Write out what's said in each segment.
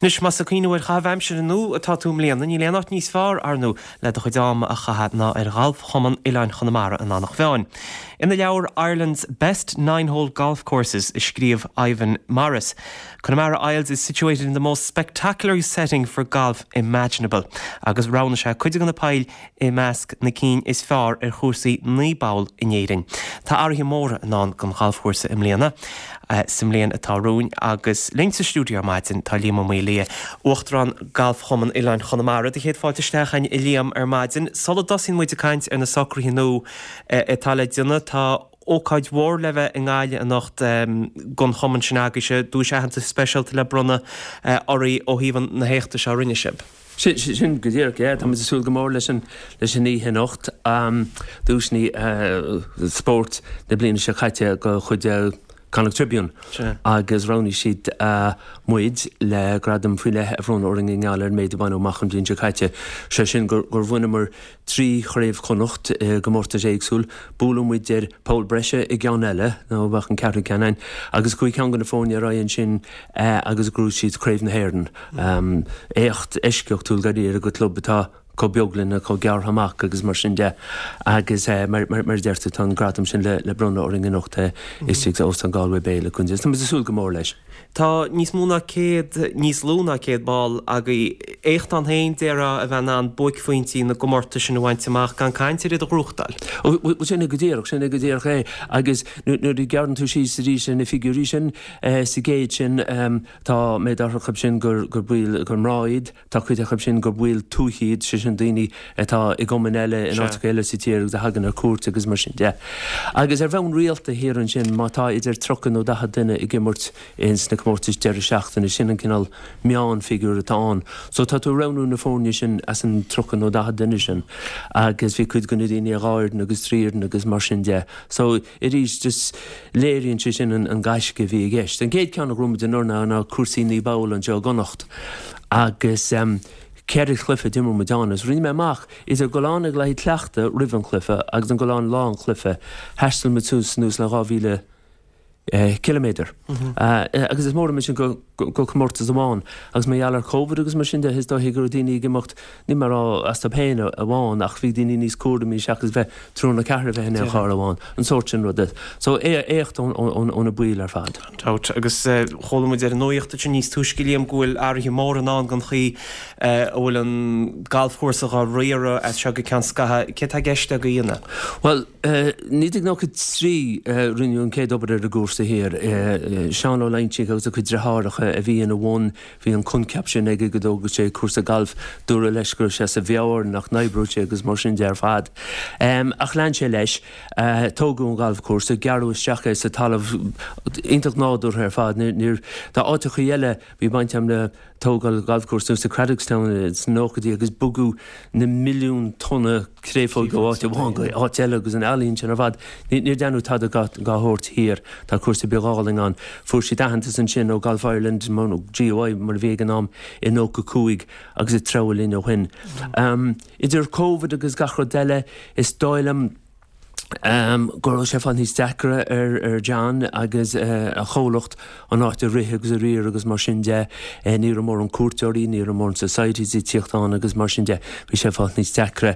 Anois, más ag cuimhneamh ar chaitheamh aimsire nua atá tú i mbliana, níl aon áit níos fearr, ar ndóigh, le do chuid ama a chaitheamh ná ar Ghalfchumann Oileáin Chonamara in Eanach Mheáin. Ina leabhar Ireland's Best Nine-Hole Golf Courses a scríobh Ivan Morris, Connemara Isles is situated in the most spectacular setting for golf imaginable agus roghnaigh sé cuid de na poill i measc na cinn is fearr ar chúrsaí 9 bpoll in Éirinn. Tá athruithe móra i ndán don ghalfchúrsa i mbliana, sa mbliain atá romhainn agus linn sa stiúideo ar maidin tá Liam Ó Maolaodha, Uachtarán Galfchumann Oileáin Chonamara. Do chéad fáilte isteach againn a Liam ar maidin. Sula dtosaíonn muid ag caint ar na socruithe nua atá le déanamh, tá ócáid mhór le bheith i nGaillimh anocht don chumann sin agaibhse, duais aitheantais speisialta le bronnadh oraibh ó thaobh na héachta seo a rinne sibh. Sin go díreach, yeah. Tá muid ag súil go mór leis an leis an oíche anocht. Duaiseanna spóirt na bliana seo caite de chuid Connacht Tribune agus roghnaigh siad muid le gradam faoi leith a bhronnadh orainn i ngeall ar an méid a baineadh amach an bhliain seo caite. Sé sin gur gur bhaineamar 3 chraobh Chonnacht i gcomórtais éagsúil. Buaileadh muid ar poll breise i gceann eile, nó bheadh an ceathrú ceann againn, agus chuaigh ceann de na foirne ar aghaidh ansin agus ghnóthaigh siad Craobh na hÉireann. Éacht eisceachtúil dáiríre do chlub atá chomh beag linn, chomh gearrtha amach agus mar sin de. Agus mar a deir tú, tá an gradam sin le bronnadh orainn anocht istigh sa Óstán Galway Bay le Tá muid ag súil go mór leis. Tá níos mó ná 100, níos lú ná 100 ball agaibh. Éacht ann féin, déarfá, a bheith in ann buaicphointí na gcomórtas sin a bhaint amach, gan caint ar iad a ghnóthachtáil. Bhuel, sin é go díreach, sin é go díreach é. Agus nuair a ghearrann tú síos arís ar na figiúirí sin, sa gcéad sin, tá méid áirithe acu sin gur baill, gur mná iad, Tá cuid acu sin gur baill tuaithe iad, sé sin daoine atá i gcumainn eile in áiteacha eile sa tír agus a thagann ar cuairt agus mar sin de. Agus ar bhonn rialta thiar ansin, má tá idir 30 nó 40 duine ag imirt ins na comórtais deireadh seachtaine, sin an cineál meánfhigiúr atá ann. So tá tú ag roghnú na foirne sin as an 30 nó 40 duine sin agus bhí cuid de na daoine ar dhá fhoireann agus trí fhoireann agus mar sin de. So arís, just léiríonn sé sin an gaisce a bhí i gceist. An chéad ceann a ghnóthaigh muid anuraidh ná cúrsaí 9 bpoll anseo i gConnacht agus ceithre chluiche a d'imir muid ann agus rinne mé amach idir dul ann ag le haghaidh cleachtadh roimh an chluiche agus an dul ann lá an chluiche, thaistil muid suas anuas le 2,000 ciliméadar. Agus is mór an méid sin go go comórtas amháin. Agus mar gheall ar Covid agus mar sin de, is dóiche go raibh daoine ag imeacht, níl mé ag rá astu féin amháin, ach bhí daoine níos cúramaí seachas bheith triúr nó ceathrar a bheith in aon charr amháin, an sórt sin ruda. So, éacht ó na baill ar fad. Gan dabht. Agus chuala muid ar an nuacht ansin níos túisce, Liam, go bhfuil athruithe móra i ndán don chaoi a bhfuil an galfchúrsa dhá riaradh as seo go ceann scaithimh. Céard tá i gceist agaibh a dhéanamh? Bhuel, 1993 rinneadh an chéad obair ar an gcúrsa thiar. Seán Ó Loingsigh agus a chuid deartháireacha a bhí ina bhun. Bhí an coincheap sin aige go dtógfadh sé cúrsa gailf. Dúradh leis go raibh sé as a mheabhair, nach n-oibreodh sé agus mar sin de ar fad. Ach lean sé leis. Tógadh an galfchúrsa, gearradh isteach é sa talamh. Iontach nádúrtha ar fad. Níor, tá áiteachaí eile, bhí baint agam le tógáil galfchúrsa sa Craddockstown sna nóchaidí agus bogadh na milliún tonna créafóige ó áit amháin go áit eile agus an ealaín sin ar fad. Níor deineadh tada dá shórt thiar. Tá cúrsa beag álainn ann. Fuair siad aitheantas ansin ó Golf Ireland, nó GOI mar a bhí ag an am, i 95 agus ag treabhadh linn ó shin. Idir Covid agus gach rud eile, is dóigh liom, go raibh sé ag fáil níos deacra ar John agus a chomhlacht an áit a rith agus a riar agus mar sin de. Ní raibh mórán cuairteoirí, ní raibh mórán societies ag tíocht ann agus mar sin de. Bhí sé ag fáil níos deacra.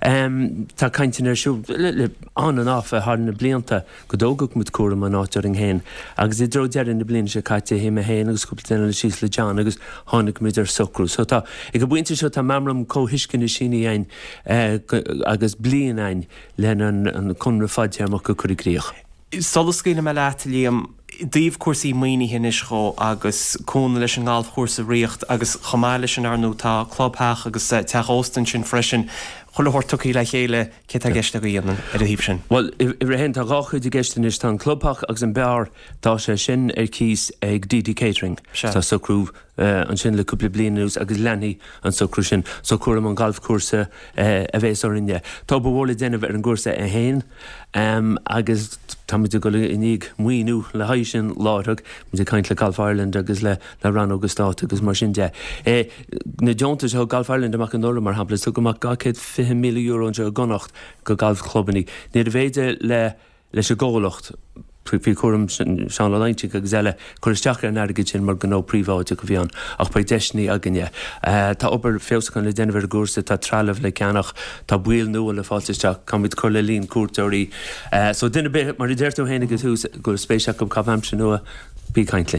Tá cainteanna ar siúl le on and off thar na blianta go dtógfadh muid cúram an áit orainn féin agus i dtreo deireadh na bliana seo caite shuigh mé féin agus cúpla duine eile síos le John agus tháinig muid ar socrú. So tá, ag an bpointe seo tá meamram comhthuisceana sínithe againn agus bliain againn lena an conradh fadtéarmach a chur i gcrích. Sula scaoilfidh mé leat, a Liam, i dtaobh cúrsaí maoinithe anois dhó agus cúnamh leis an ngalfchúrsa a ríocht agus chomh maith leis sin, ar ndóigh, tá clubtheach agus teach ósta ansin freisin. Chuile shórt tugtha le chéile, céard tá i gceist agaibh a dhéanamh ar an thaobh sin? Bhuel, uimhir a haon, tá dhá chuid i gceist anois. Tá an clubtheach agus an beár, tá sé sin ar cíos ag DD Catering. Tá socrú ansin le cúpla bliain anuas agus leanfaidh an socrú sin. So cúram an ghalfchúrsa a bhéas orainne. Tá obair mhór le déanamh ar an gcúrsa é féin agus táimid ag dul i ndiaidh maoiniú le haghaidh sin láithreach. Muid ag caint le Golf Ireland agus le rannóga stáit agus mar sin de. Na deontais a thug Golf Ireland amach anuraidh, mar shampla, tugadh amach €220,000 anseo i gConnacht go galfchlubanna. Níorbh fhéidir le leis an gcomhlacht. Faoi chúram Seán Ó Loingsigh agus eile, cur isteach ar an airgead sin mar gnó príobháideach a bhí ann ach beidh deiseanna againne. Tá obair feabhsúcháin le déanamh ar an gcúrsa, tá trealamh le ceannach, tá baill nua le fáilt isteach, caithfimid cur le líon cuairteoirí. So duine ar bith, mar a deir tú féin ag an tús, go bhfuil spéis acu caitheamh aimsire nua, bí ag caint linn.